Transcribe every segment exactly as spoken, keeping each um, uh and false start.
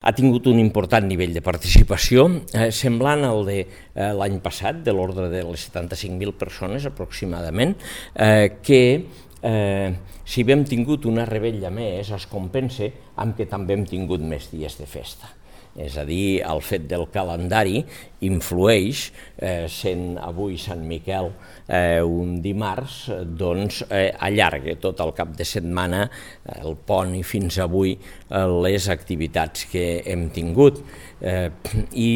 Ha tingut un important nivell de participació, eh, semblant al de eh, l'any passat, de l'ordre de les setanta-cinc mil persones aproximadament, eh, que eh, si hem tingut una revetlla més es compensa amb que també hem tingut més dies de festa. És a dir, el fet del calendari influeix, eh, sent avui Sant Miquel eh, un dimarts, doncs eh, allarga tot el cap de setmana, el pont i fins avui, eh, les activitats que hem tingut. Eh, I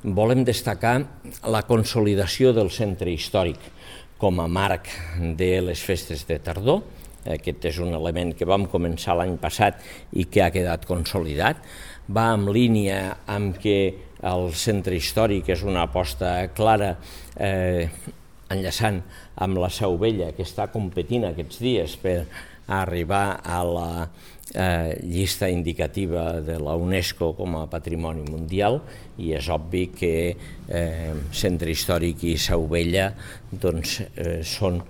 volem destacar la consolidació del centre històric com a marc de les festes de tardor. Aquest és un element que vam començar l'any passat i que ha quedat consolidat. Va en línia amb que el centre històric és una aposta clara, eh, enllaçant amb la Seu Vella, que està competint aquests dies per arribar a la eh, llista indicativa de la UNESCO com a Patrimoni Mundial, i és obvi que eh, centre històric i Seu Vella doncs, eh, són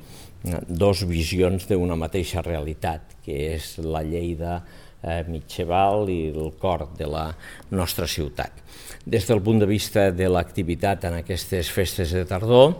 dos visions d'una mateixa realitat, que és la Lleida eh, mitjaval i el cor de la nostra ciutat. Des del punt de vista de l'activitat en aquestes festes de tardor,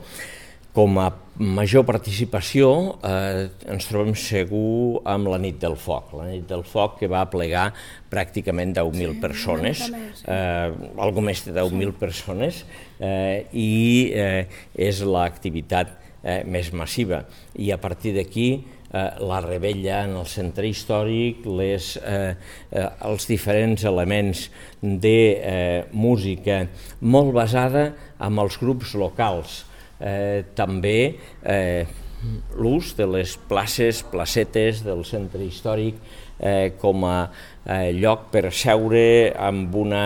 com a major participació eh, ens trobem segur amb la Nit del Foc. La Nit del Foc que va plegar pràcticament deu mil persones, eh, algo més de deu mil persones, eh, i eh, és l'activitat Eh, més massiva, i a partir d'aquí eh, la revetlla en el centre històric, les, eh, eh, els diferents elements de eh, música molt basada en els grups locals, eh, també eh, l'ús de les places, placetes del centre històric eh, com a eh, lloc per seure amb una...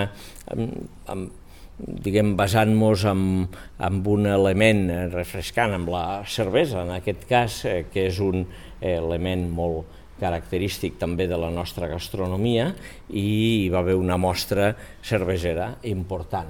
Amb, amb, diguem, basant-nos en, en un element refrescant, amb la cervesa, en aquest cas, eh, que és un element molt característic també de la nostra gastronomia, i hi va haver una mostra cervesera important.